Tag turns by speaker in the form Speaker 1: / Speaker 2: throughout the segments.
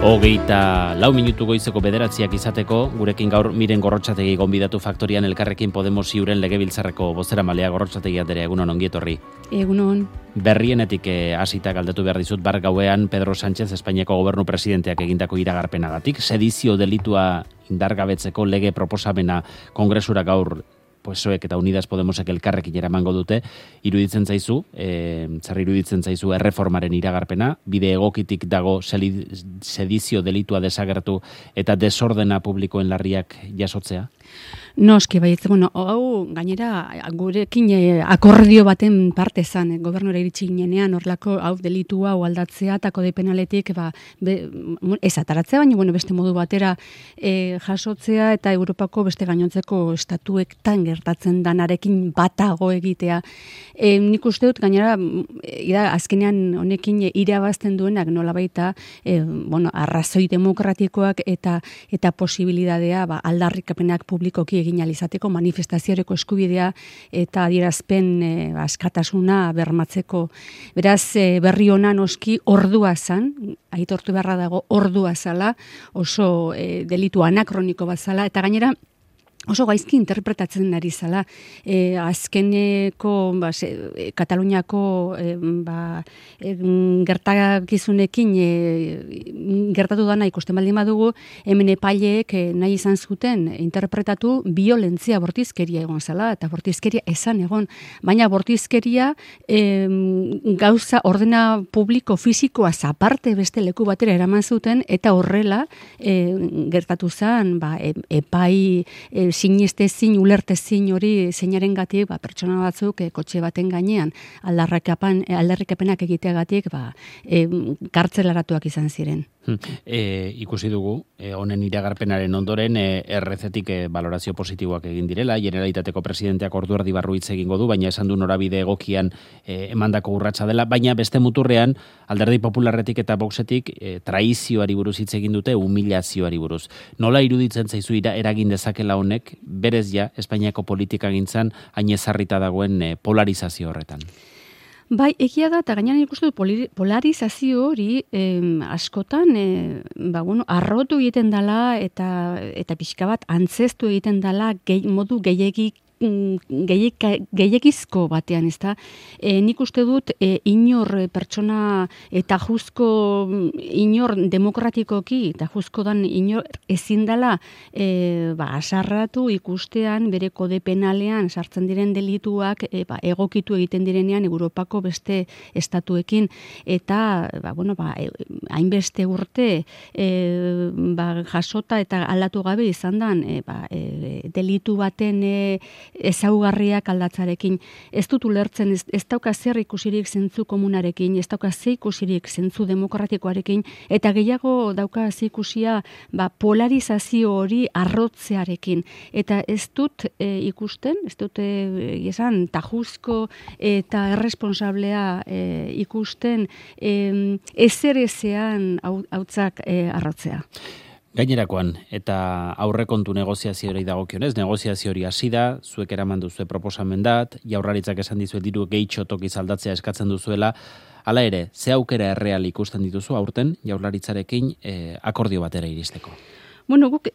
Speaker 1: 24 goizeko 9 izateko, gurekin gaur Miren Gorrotxategi gonbidatu faktorian Elkarrekin Podemos Iuren legebiltzarreko bozeramalea. Gorrotxategi andrea, egunon, ongi etorri.
Speaker 2: Egunon.
Speaker 1: Berrienetik hasita galdetu behar dizut, bar gauean Pedro Sánchez Espainiako gobernu presidenteak egindako iragarpenagatik, sedizio delitua indargabetzeko lege proposamena kongresura gaur PSOEk eta Unidas Podemosek elkarrekin eramango dute. Iruditzen zaizu, zer iruditzen zaizu erreformaren iragarpena, bide egokitik dago sedizio delitua desagertu eta desordena publikoen larriak jasotzea?
Speaker 2: Noski, baietz, hau gainera gurekin akordio baten parte zan, gobernura iritsi ginenean, horlako hau delitua, hau aldatzea, eta kode penaletik, ez ataratzea, baina beste modu batera jasotzea, eta Europako beste gainontzeko estatuetan gertatzen danarekin batago egitea. Nik uste dut, gainera, azkenean honekin irabazten duenak nola baita, arrazoi demokratikoak eta posibilidadea aldarrikapenak publikoki egin alizateko, manifestazioreko eskubidea eta adierazpen askatasuna bermatzeko. Beraz, berri ona noski ordua zan, aitortu beharra dago ordua zala, oso delitu anakroniko bat zala, eta gainera oso gaizki interpretatzen ari zala. Azkeneko Kataluniako gertakizunekin gertatu dana ikusten baldin badugu, hemen epaileek nahi izan zuten interpretatu violentzia bortizkeria egon zala, eta bortizkeria esan egon, baina bortizkeria gauza ordena publiko fisikoa aparte beste leku batera eraman zuten, eta horrela gertatu zen epai sinestezin, ulertezin hori zeinarengatik, pertsona batzuk kotxe baten gainean aldarrikapenak egiteagatik kartzelaratuak izan ziren.
Speaker 1: Ikusi dugu, honen iragarpenaren ondoren errezetik balorazio positiboak egin direla, Generalitateko presidenteak ordu erdi barru hitz egingo du, baina esan du norabide egokian emandako urratsa dela, baina beste muturrean Alderdi Popularretik eta Voxetik traizioari buruz hitz egin dute, humilazioari buruz. Nola iruditzen zaizu eragin dezakela honek, berez Espainiako politikagintzan hain ezarrita dagoen polarizazio horretan?
Speaker 2: Bai, egia da, eta gainean ikustu polarizazio hori askotan arrotu egiten dela eta pixka bat antzestu egiten dela modu gehiegizko batean, ez da? Nik uste dut inor pertsona eta juzko inor demokratikoki eta juzko dan inor ezin dela asarratu ikustean bere kode penalean sartzen diren delituak egokitu egiten direnean Europako beste estatuekin eta hainbeste urte jasota eta aldatu gabe izan dan delitu baten ezaugarriak aldatzarekin. Ez dut ulertzen, ez dauka zer ikusirik zentzu komunarekin, ez dauka zer ikusirik zentzu demokratikoarekin, eta gehiago dauka zer ikusia polarizazio hori arrotzearekin. Eta ez dut ikusten, ez dut esan tajuzko eta erresponsablea ikusten ezer ezean hautzak arrotzea.
Speaker 1: Gainerakoan, eta aurrekontu negoziazioari dagokionez, negoziazio hori hasi da, zuek eraman duzue proposamen dat, Jaurlaritzak esan dizue diru gehitxo tokiz aldatzea eskatzen duzuela, hala ere, ze aukera erreal ikusten dituzu aurten Jaurlaritzarekin akordio batera iristeko?
Speaker 2: Guk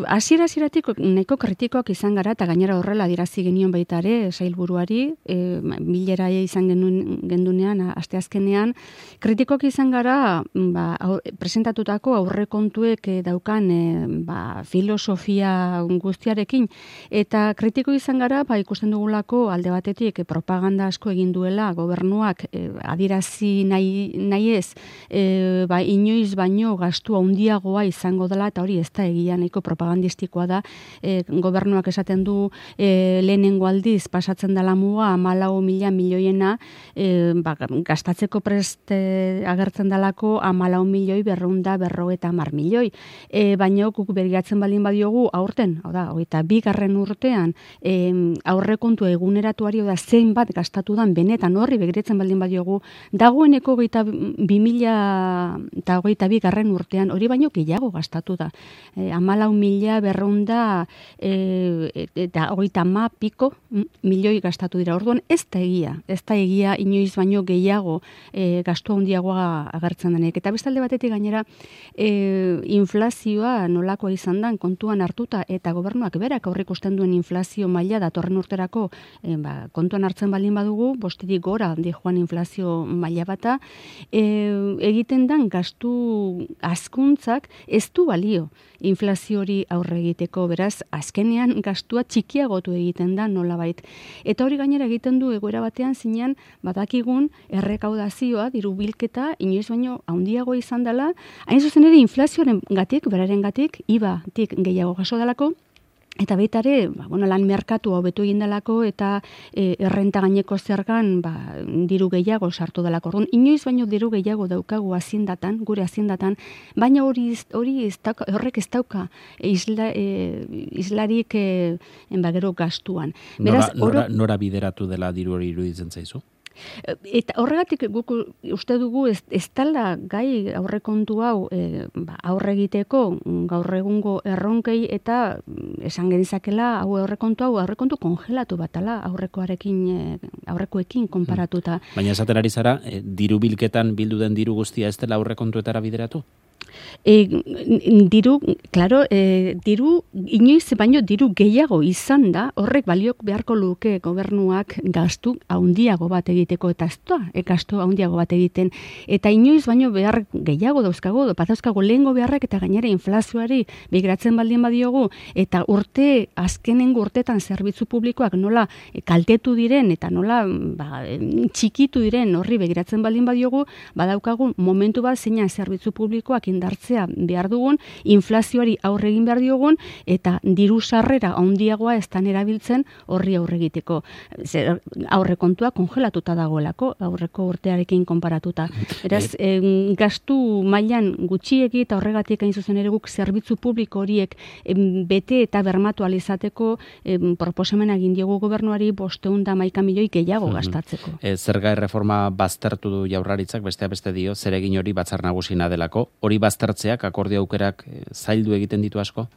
Speaker 2: hasieratik nahiko kritikoak izan gara, eta gainera horrela adierazi genion baita ere sailburuari, bilera izan gendunean, asteazkenean, kritikoak izan gara presentatutako aurrekontuek daukan filosofia guztiarekin, eta kritiko izan gara, ikusten dugulako alde batetik propaganda asko egin duela gobernuak adierazi nahi ez, inoiz baino gastu handiagoa izango dela, eta hori ez da egia nahiko propagandistikoa da. Gobernuak esaten du lehenengo aldiz pasatzen dela muga 14.000 milioiena, gastatzeko prest agertzen dalako 14.250 milioi. Baina guk begiratzen baldin badiogu aurten, hau da, 22. urtean aurrekontu eguneratuari da zeinbat gastatu dan benetan horri begiratzen baldin badiogu, dagoeneko 2022. urtean hori baino gehiago gastatu da. 14.200 eta 30 piko milioi gastatu dira. Orduan ez da egia inoiz baino gehiago gastu handiagoa agertzen denek. Eta bestalde batetik gainera inflazioa nolakoa izan da kontuan hartuta eta gobernuak berak aurreikusten duen inflazio maila datorren urterako kontuan hartzen baldin badugu, bostetik gora handi joan inflazio maila bata, egiten dan gastu hazkuntzak ez du balio inflazio hori aurre egiteko, beraz, azkenean gastua txikiagotu egiten da nolabait. Eta hori gainera egiten du egoera batean zinean badakigun errekaudazioa, diru bilketa, inoiz baino handiago izan dela, hain zuzen ere inflazioaren gatik, beraren gatik, IVA-tik gehiago jaso dalako, eta baita ere, lan merkatu hobetu egin dalako eta errenta gaineko zergan diru gehiago sartu dalako. Orduan, inoiz baino diru gehiago daukagu haziendatan, gure haziendatan, baina horrek ez dauka islarik gero gastuan.
Speaker 1: Beraz, nora bideratu dela diru hori iruditzen zaizu?
Speaker 2: Eta horregatik guk uste dugu ez dela gai aurrekontu hau aurre egiteko gaur egungo erronkei eta esan genizakela aurrekontu kongelatu batala aurrekoekin konparatuta.
Speaker 1: Baina esaten ari zara, diru bilketan bildu den diru guztia ez dela aurrekontuetara bideratu?
Speaker 2: Diru inoiz baino diru gehiago izan da, horrek baliok beharko luke gobernuak gastu handiago bat egiteko eta gastu handiago bat egiten, eta inoiz baino behar gehiago dauzkago lehengo beharrak eta gainera inflazioari begiratzen baldin badiogu eta azkenengo urtetan zerbitzu publikoak nola kaltetu diren eta nola txikitu diren horri begiratzen baldin badiogu, badaukagun momentu bat zeinan zerbitzu publikoak indartzea behar dugun, inflazioari aurre egin behar diogun, eta diru sarrera handiagoa estan erabiltzen horri aurre egiteko. Aurrekontua kongelatuta dagoelako, aurreko urtearekin konparatuta. Beraz, gastu mailan gutxiegi eta horregatik hain zuzen ere guk zerbitzu publiko horiek bete eta bermatu alizateko proposamena egin diogu gobernuari 511 milioi gehiago gastatzeko.
Speaker 1: Zerga erreforma baztertu du Jaurlaritzak, besteak beste dio, zeregin hori batzar nagusina delako. Hori baztertzeak akordio aukerak zaildu egiten ditu asko?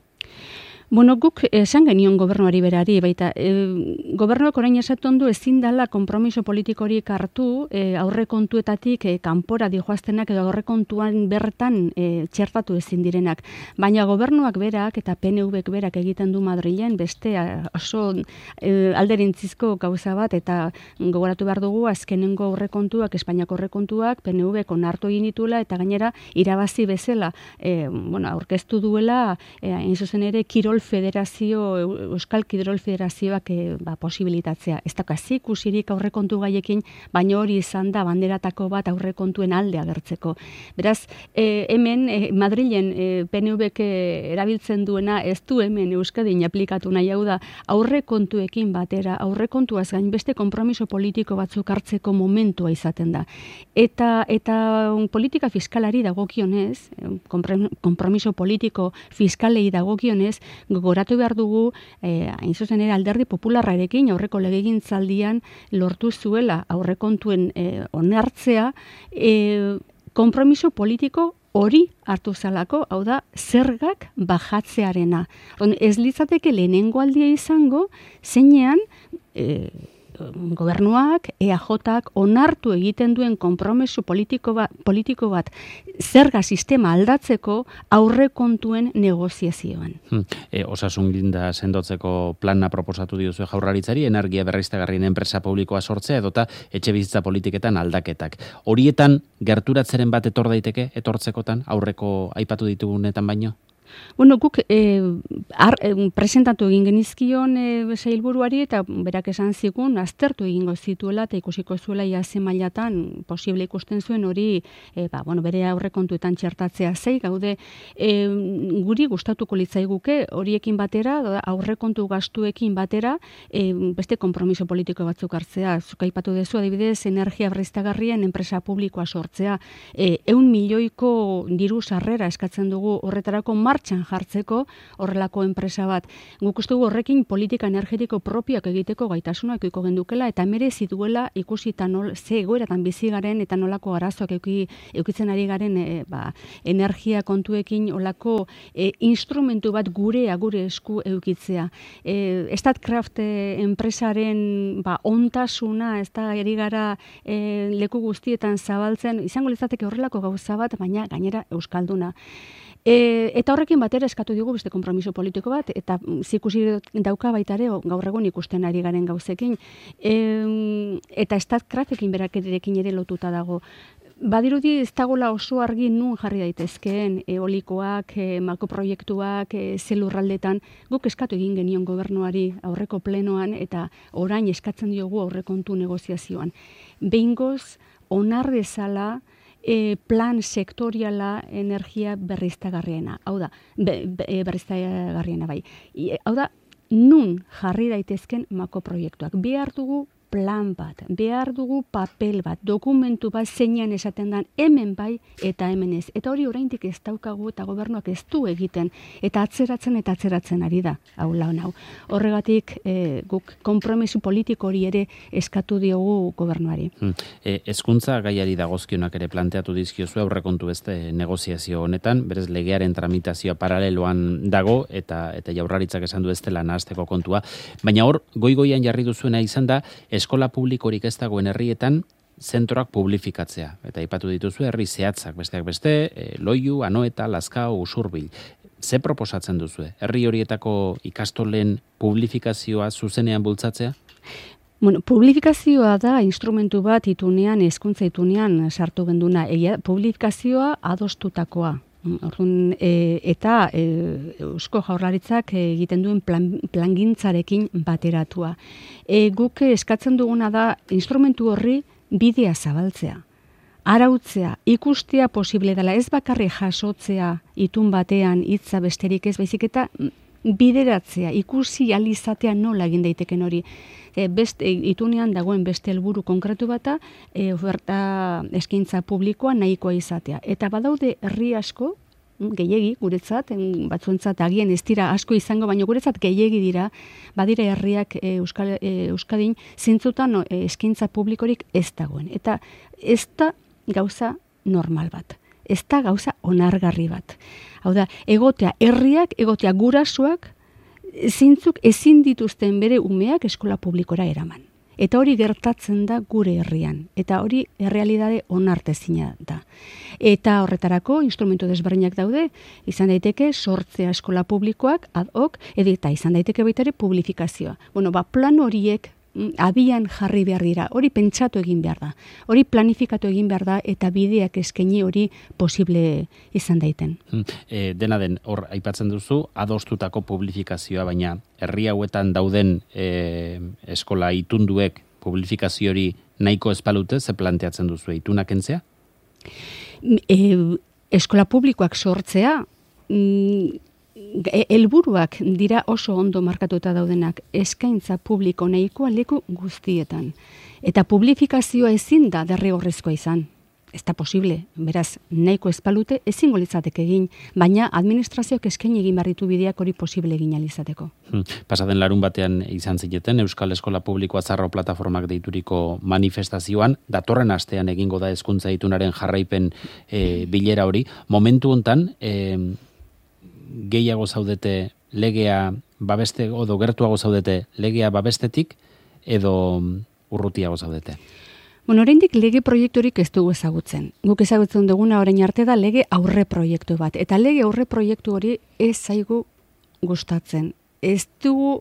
Speaker 2: Bueno, guk esan genion gobernuari berari, baita gobernuak orain esaten du ezin dela konpromiso politiko horiek hartu aurrekontuetatik kanpora dijoaztenak edo aurrekontuan bertan txertatu ezin direnak. Baina gobernuak berak eta PNVk berak egiten du Madrilen beste oso alderintzizko gauza bat eta gogoratu behar dugu azkenengo aurrekontuak, Espainiako aurrekontuak PNVk onartu egin dituela eta gainera irabazi bezala aurkeztu duela hain zuzen ere Euskal Kirol Federazioak posibilitatzea. Ez daukazi ikusirik aurrekontu gaiekin, baina hori izan da banderatako bat aurrekontuen alde agertzeko. Beraz, hemen Madrilen PNVk erabiltzen duena ez du hemen Euskadin aplikatu nahi, hau da aurrekontuekin batera, aurrekontuaz gain beste konpromiso politiko batzuk hartzeko momentua izaten da. Eta politika fiskalari dagokionez, konpromiso politiko fiskalei dagokionez, gogoratu behar dugu, hain zuzen ere Alderdi Popularrarekin aurreko legegintzaldian lortu zuela aurrekontuen onartzea, konpromiso politiko hori hartu zalako, hau da, zergak bajatzearena. Ez litzateke lehenengo aldia izango, zeinean gobernuak, EAJak onartu egiten duen konpromiso politiko bat zerga sistema aldatzeko aurrekontuen negoziazioan.
Speaker 1: Osasunginda sendotzeko plana proposatu diozu Jaurlaritzari, energia berriztagarrien enpresa publikoa sortzea edota etxebizitza politiketan aldaketak. Horietan gerturatzeren bat etortzekotan aurreko aipatu ditugunetan baino?
Speaker 2: Bueno, guk presentatu egin genizkion sailburuari eta berak esan zigun aztertu egingo zituela eta ikusiko zuela iaze mailatan posible ikusten zuen hori bere aurrekontuetan txertatzea gaude guri gustatuko litzaiguke horiekin batera, aurrekontu gastuekin batera, beste konpromiso politiko batzuk hartzea. Zuk aipatu dezu adibidez energia berriztagarrien enpresa publikoa sortzea, 100 milioiko diru sarrera eskatzen dugu horretarako martxan jartzeko horrelako enpresa bat. Guk uste dugu horrekin politika energetiko propioak egiteko gaitasuna ekoiko gendukela eta merezi duela ikusita ze egoeratan bizi garen eta nolako arazoak eukitzen ari garen energia kontuekin olako instrumentu bat gure esku eukitzea. Statkraft enpresaren ontasuna ez da eri gara leku guztietan zabaltzen, izango litzateke horrelako gauza bat, baina gainera euskalduna. Eta horrekin batera eskatu digu beste konpromiso politiko bat, eta zikusi dauka baita ere gaur egun ikusten ari garen gauzekin. Eta Statkraftekin berakerekin ere lotuta dago. Badirudi ez dagoela oso argi nun jarri daitezkeen eolikoak, makroproiektuak, zelurraldetan, guk eskatu egin genion gobernuari aurreko plenoan eta orain eskatzen diogu aurrekontu negoziazioan. Behingoz, onar dezala plan sektoriala energia berriztagarriena. Hau da, berriztagarriena bai. Hau da, nun jarri daitezken makroproiektuak. Behar dugu plan bat, behar dugu papel bat, dokumentu bat zeinan esaten dan hemen bai eta hemen ez. Eta hori oraindik ez daukagu eta gobernuak ez du egiten. Eta atzeratzen ari da. Hau lan hau. Horregatik guk konpromiso politiko hori ere eskatu diogu gobernuari.
Speaker 1: Hezkuntza gaiari dagozkionak ere planteatu dizkiozu aurrekontu beste negoziazio honetan, berez legearen tramitazioa paraleloan dago eta Jaurlaritzak esan du ez dela nahasteko kontua. Baina hor, goigoian jarri duzuena izan da, eskola publikorik ez dagoen herrietan zentroak publifikatzea. Eta aipatu dituzu herri zehatzak, besteak beste, Loiu, Anoeta, Lazkao, Usurbil. Ze proposatzen duzue? Herri horietako ikastolen publifikazioa zuzenean bultzatzea?
Speaker 2: Bueno, publifikazioa da instrumentu bat itunean, hezkuntza itunean sartu genduna. Publifikazioa adostutakoa. Eta Eusko Jaurlaritzak egiten duen plangintzarekin bateratua. Guk eskatzen duguna da instrumentu horri bidea zabaltzea. Arautzea, ikustea posible dela, ez bakarri jasotzea itun batean hitza besterik ez, baizik eta bideratzea, ikusi alizatea nola egin daiteken hori. Itunean dagoen beste helburu konkretu bata, oferta eskaintza publikoa nahikoa izatea. Eta badaude herri asko, gehiegi guretzat, batzuentzat agian ez dira asko izango, baina guretzat gehiegi dira, badira herriak Euskadin zintzutan eskaintza publikorik ez dagoen. Eta ez da gauza normal bat. Ez da gauza onargarri bat. Hau da, herriak, gurasoak, zintzuk ezin dituzten bere umeak eskola publikora eraman. Eta hori gertatzen da gure herrian. Eta hori errealitate onartezina da. Eta horretarako instrumentu desberdinak daude, izan daiteke sortzea eskola publikoak ad hoc, eta izan daiteke baita ere publifikazioa. Bueno, plan horiek abian jarri behar dira, hori pentsatu egin behar da, hori planifikatu egin behar da eta bideak eskaini hori posible izan daiten.
Speaker 1: Dena den, hor aipatzen duzu, adostutako publifikazioa, baina herri hauetan dauden eskola itunduek publifikazio hori nahiko espalute, ze planteatzen duzu itunak entzea?
Speaker 2: Eskola publikoak sortzea, helburuak dira oso ondo markatuta daudenak, eskaintza publiko nahikoa leku guztietan. Eta publifikazioa ezin da derrigorrezkoa izan. Ez da posible, beraz, nahiko espalute ezingo litzateke egin, baina administrazioak eskaini egin barritu bideak hori posible egin alizateko.
Speaker 1: Pasaden larun batean izan zineten, Euskal Eskola Publikoa Zarro Plataformak deituriko manifestazioan, datorren astean egingo da hezkuntza itunaren jarraipen bilera hori. Momentu hontan, gehiago zaudete legea babeste, edo gertuago zaudete legea babestetik, edo urrutiago zaudete?
Speaker 2: Bueno, oraindik lege proiekturik ez dugu ezagutzen. Guk ezagutzen duguna orain arte da lege aurre proiektu bat. Eta lege aurre proiektu hori ez zaigu gustatzen. Ez dugu,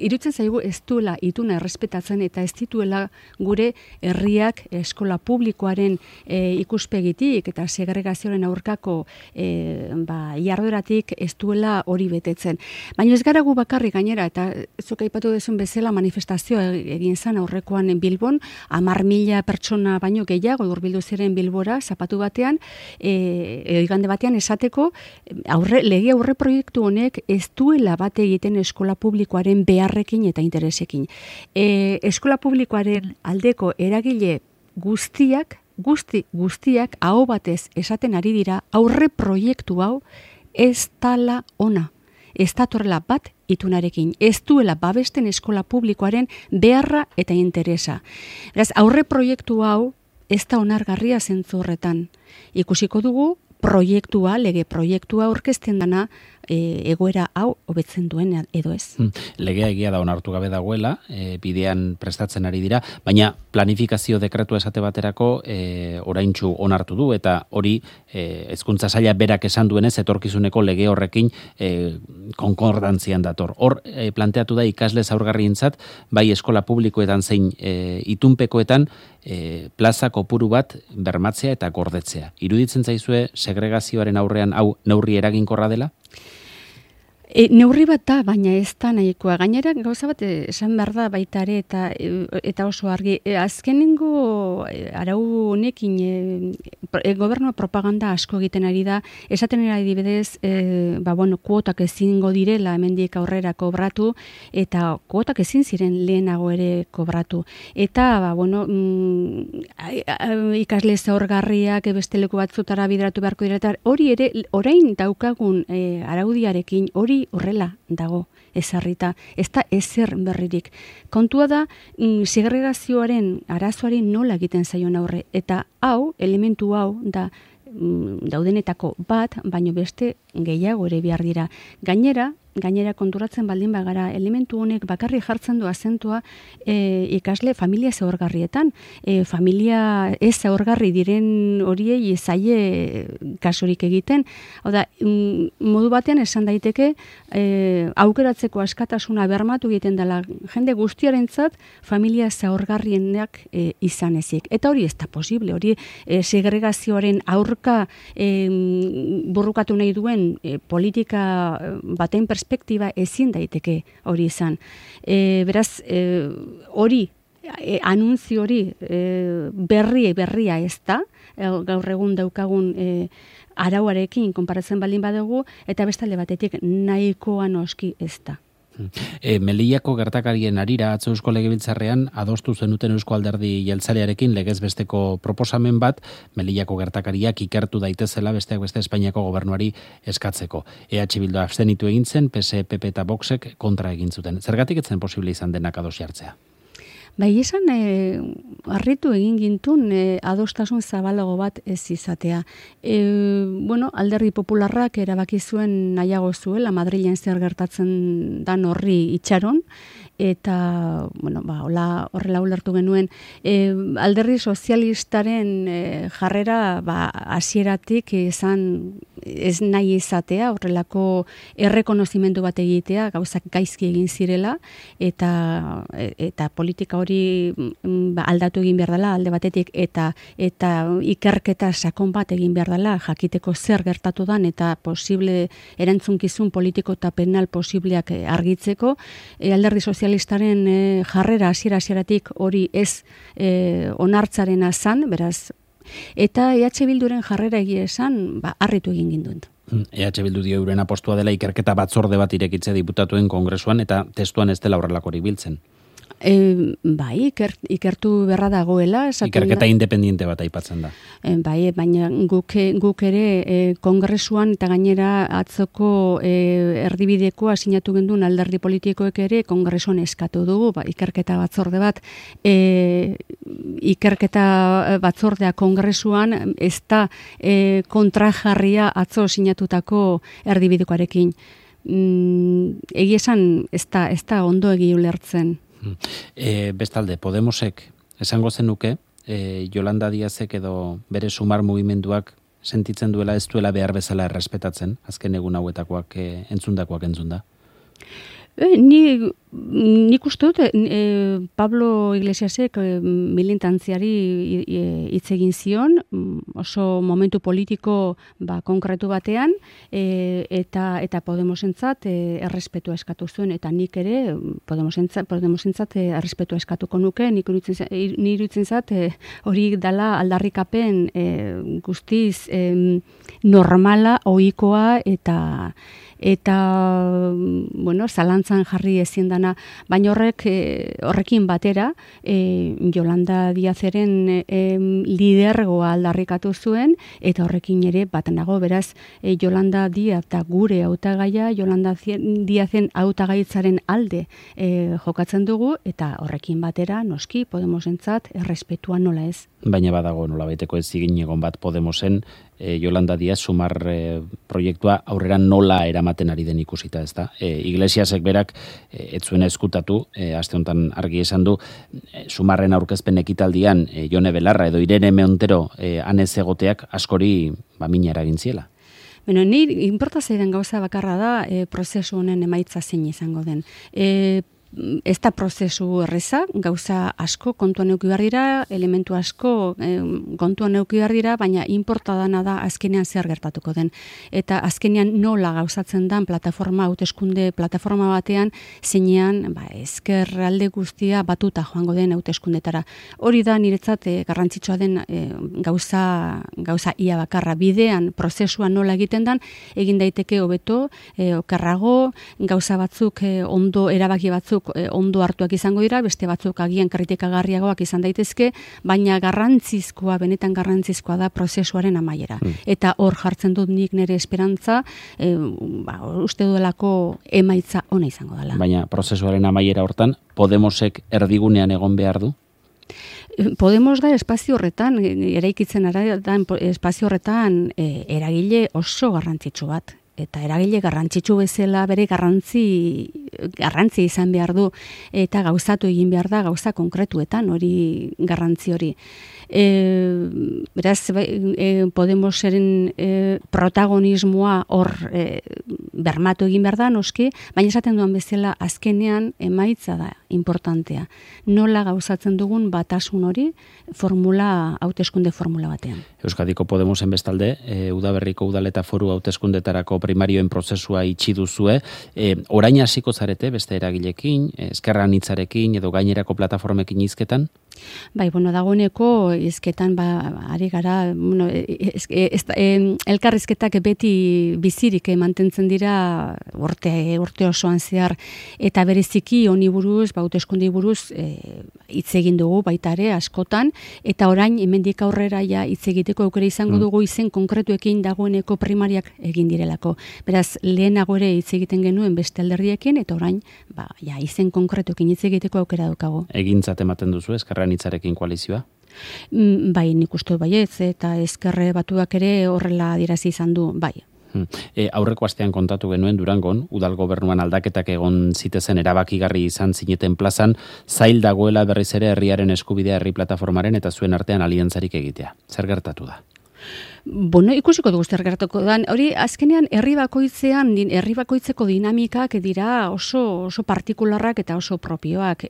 Speaker 2: irutzen zaigu ez duela ituna errespetatzen eta ez dituela gure herriak eskola publikoaren ikuspegitik eta segregazioaren aurkako jardueratik ez duela hori betetzen. Baina ez gara gu bakarrik gainera, eta zuk aipatu duzun bezala manifestazioa egin zen aurrekoan Bilbon, 10.000 pertsona baino gehiago hurbildu ziren Bilbora zapatu batean, igande batean esateko lege aurre proiektu honek ez duela bat egiten eskola publikoaren beharrekin eta interesekin. Eskola publikoaren aldeko eragile guztiak aho batez esaten ari dira aurre proiektu hau ez dala ona. Ez datorrela bat itunarekin. Ez duela babesten eskola publikoaren beharra eta interesa. Beraz, aurre proiektu hau ez da onargarria zentzu horretan. Ikusiko dugu lege proiektua aurkezten dana egoera hau hobetzen duen edo ez.
Speaker 1: Legea egia da onartu gabe dagoela, bidean prestatzen ari dira, baina planifikazio dekretua esate baterako oraintsu onartu du, eta hori hezkuntza saila berak esan duenez etorkizuneko lege horrekin konkordantzian dator. Hor planteatu da ikasle zaurgarrientzat, bai eskola publikoetan zein itunpekoetan plaza kopuru bat bermatzea eta gordetzea. Iruditzen zaizue segregazioaren aurrean hau neurri eraginkorra dela?
Speaker 2: Neurri bat da, baina ez da nahikoa. Gainera, gauza bat esan behar da baita ere eta oso argi. Azkenengo arau honekin gobernua propaganda asko egiten ari da. Esaten ari dibidez, kuotak ezingo direla hemendik aurrera kobratu, eta kuotak ezin ziren lehenago ere kobratu. Eta, ikasle zaurgarriak beste leku batzutara bideratu beharko dira, eta hori ere, orain daukagun araudiarekin, hori horrela dago ezarrita, ez da ezer berririk. Kontua da, segregazioaren arazoari nola egiten zaion aurre, eta elementu hau da daudenetako bat, baino beste gehiago ere behar dira. Gainera konturatzen baldin bagara, elementu honek bakarri jartzen du azentua ikasle familia zaurgarrietan. Familia ez zaurgarri diren horiei zaie kasurik egiten. Hau da, modu batean esan daiteke, aukeratzeko askatasuna bermatu egiten dela jende guztiarentzat familia zaurgarrienak izan ezik. Eta hori ez da posible, hori segregazioaren aurka burrukatu nahi duen politika baten perspektiba ezin daiteke hori izan. Beraz, hori, anunzio hori berria ez da, gaur egun daukagun arauarekin konparatzen baldin badugu, eta bestalde batetik nahikoa noski ez da.
Speaker 1: Melillako gertakarien harira atzo Eusko Legebiltzarrean adostu zenuten Eusko Alderdi Jeltzalearekin legez besteko proposamen bat Melillako gertakariak ikertu daitezela besteak beste Espainiako gobernuari eskatzeko. EH Bildu abstenitu egin zen, PS, PP eta Voxek kontra egin zuten. Zergatik etzen posible izan denak ados jartzea?
Speaker 2: Bai, esan harritu egin gintun adostasun zabalago bat ez izatea. Alderdi Popularrak erabaki zuen nahiago zuela Madrilen zer gertatzen dan horri itxaron, eta horrela ulertu genuen alderdi sozialistaren jarrera hasieratik izan ez nahi izatea, horrelako errekonozimendu bat egitea, gauzak gaizki egin zirela, eta politika hori aldatu egin behar dela alde batetik, eta ikerketa sakon bat egin behar dela, jakiteko zer gertatu dan, eta posible erantzunkizun politiko eta penal posibleak argitzeko. Alderdi sozialistaren jarrera hasieratik hori ez onartzaren azan, beraz, eta EH Bilduren jarrera egia esan, harritu egin ginduen.
Speaker 1: EH Bildu dio euren apostua dela ikerketa batzorde bat irekitze diputatuen kongresuan, eta testuan ez dela horrelakorik biltzen.
Speaker 2: Bai, ikertu berra dagoela.
Speaker 1: Ikerketa independiente bat aipatzen da.
Speaker 2: Bai, baina guk ere kongresuan eta gainera atzoko erdibidekoa sinatu gendun alderdi politikoek ere kongresuan eskatu dugu, ikerketa batzorde bat, ikerketa batzordea kongresuan ez da kontrajarria atzo sinatutako erdibidekoarekin. Egia esan ez da ondo egi ulertzen.
Speaker 1: Bestalde, Podemosek esango zenuke, Yolanda Díazek edo bere sumar mugimenduak sentitzen duela ez duela behar bezala errespetatzen, azken egun hauetakoak entzundakoak entzunda? Nik
Speaker 2: uste dut Pablo Iglesiasek militantziari hitz egin zion, oso momentu politiko konkretu batean, eta Podemosentzat errespetua eskatu zuen, eta nik ere Podemosentzat errespetua eskatuko nuke, niruditzen zat hori dala aldarrikapen guztiz normala, ohikoa eta bueno, zalantzan jarri ezin dana, baina horrekin batera Yolanda Díazeren lidergoa aldarrikatu zuen, eta horrekin ere bat nago, beraz Yolanda Díaz eta gure hautagaia Yolanda Díazen hautagaitzaren alde jokatzen dugu, eta horrekin batera noski Podemosentzat errespetua nola ez.
Speaker 1: Baina badago nolabaiteko ezin egon bat Podemosen Yolanda Díaz sumar proiektua aurrera nola eramaten ari den ikusita, ezta? Iglesiasek berak ez zuen eskutatu, aste honetan argi esan du, sumarren aurkezpen ekitaldian Jone Belarra edo Irene Montero anez egoteak askori mina eragin ziela.
Speaker 2: Bueno, ni inporta zaidan gauza bakarra da prozesu honen emaitza zein izango den. Ez da prozesu erreza, gauza asko kontuan eduki behar dira, elementu asko kontuan eduki behar dira, baina inporta dana da azkenean zer gertatuko den. Eta azkenean nola gauzatzen den hauteskunde plataforma batean, zeinean ezker alde guztia batuta joango den hauteskundetara. Hori da niretzat garrantzitsua den gauza ia bakarra. Bidean prozesua nola egiten den, egin daiteke hobeto, okerrago, gauza batzuk ondo erabaki batzuk ondo hartuak izango dira, beste batzuk agian kritikagarriagoak izan daitezke, baina benetan garrantzizkoa da prozesuaren amaiera. Eta hor jartzen dut nik nire esperantza, uste duelako emaitza ona izango dela.
Speaker 1: Baina prozesuaren amaiera hortan, Podemosek erdigunean egon behar du?
Speaker 2: Podemos da espazio horretan, eraikitzen da espazio horretan eragile oso garrantzitsu bat. Eta eragile garrantzitsu bezala bere garrantzi izan behar du, eta gauzatu egin behar da gauza konkretuetan hori garrantzi hori. Beraz, Podemoseren protagonismoa hor bermatu egin behar da, noski, baina esaten duan bezala azkenean emaitza da importantea. Nola gauzatzen dugun batasun hori hauteskunde formula batean.
Speaker 1: Euskadiko Podemosen bestalde, udaberriko udal eta foru hauteskundetarako primarioen prozesua itxi duzue, orain hasiko zarete beste eragilekin, ezker anitzarekin edo gainerako plataformekin hizketan?
Speaker 2: Bai, dagoeneko hizketan ari gara, elkarrizketak beti bizirik mantentzen dira urte osoan zehar, eta bereziki honi buruz, hauteskunde buruz hitz egin dugu baita ere askotan, eta orain hemendik aurrera hitz egiteko aukera izango dugu izen konkretuekin dagoeneko primariak egin direlako. Beraz, lehenago ere hitz egiten genuen beste alderdiekin, eta orain izen konkretuekin hitz egiteko aukera daukago.
Speaker 1: Egintzat ematen duzu ezker anitzarekin koalizioa?
Speaker 2: Bai, nik uste baietz, eta ezker batuak ere horrela adierazi izan du, bai.
Speaker 1: Aurreko astean kontatu genuen Durangon, udal gobernuan aldaketak egon zitezen erabakigarri izan zineten plazan, zail dagoela berriz ere herriaren eskubidea herri plataformaren eta zuen artean aliantzarik egitea. Zer gertatu da?
Speaker 2: Ikusiko dugu zer gertatuko da. Hori azkenean herri bakoitzeko dinamikak dira oso partikularrak eta oso propioak.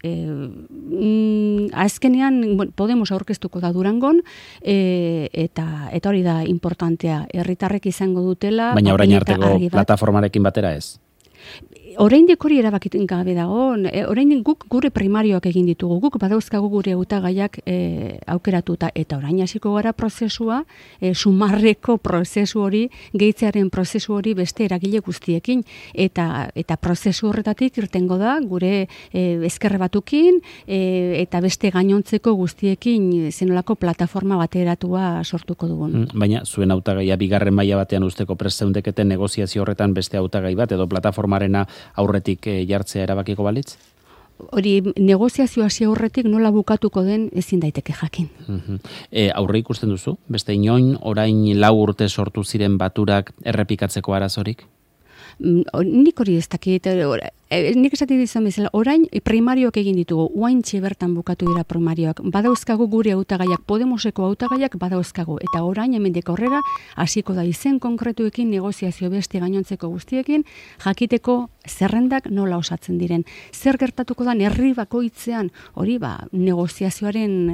Speaker 2: Azkenean Podemos aurkeztuko da Durangon, eta hori da importantea. Herritarrek izango dutela.
Speaker 1: Baina orain arteko plataformarekin batera ez?
Speaker 2: Oraindik hori erabakiten gabe dago, oraindik guk gure primarioak egin ditugu, guk badauzkagu gure hautagaiak aukeratuta, eta orain hasiko gara prozesua, sumarreko prozesu hori, gehitzearen prozesu hori beste eragile guztiekin, eta prozesu horretatik irtengo da, gure ezker batukin, eta beste gainontzeko guztiekin zenolako plataforma bateratua sortuko dugun.
Speaker 1: Baina, zuen hautagaia bigarren maila batean usteko prest zeundeketen negoziazio horretan beste hautagai bat, edo plataformarena aurretik jartzea erabakiko balitz?
Speaker 2: Hori negoziazio hasi aurretik nola bukatuko den ezin daiteke jakin.
Speaker 1: Aurre ikusten duzu? Beste inoin orain 4 urte sortu ziren baturak errepikatzeko arazorik?
Speaker 2: Nik hori ez dakit, nik esatik dizan bezala, orain primarioak egin ditugu, oaintxe bertan bukatu dira primarioak, badauzkagu gure hautagaiak, Podemoseko hautagaiak badauzkagu, eta orain hemendik aurrera hasiko da izen konkretuekin negoziazio beste gainontzeko guztiekin, jakiteko zerrendak nola osatzen diren. Zer gertatuko da herri bakoitzean, hori negoziazioaren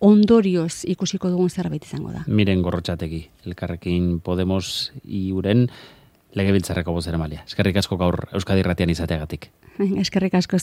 Speaker 2: ondorioz ikusiko dugun zerbait izango da.
Speaker 1: Miren Gorrotxategi, Elkarrekin Podemos iuren Legebiltzarreko bozeramailia. Eskerrik asko gaur Euskadi Irratian izateagatik.
Speaker 2: Eskerrik asko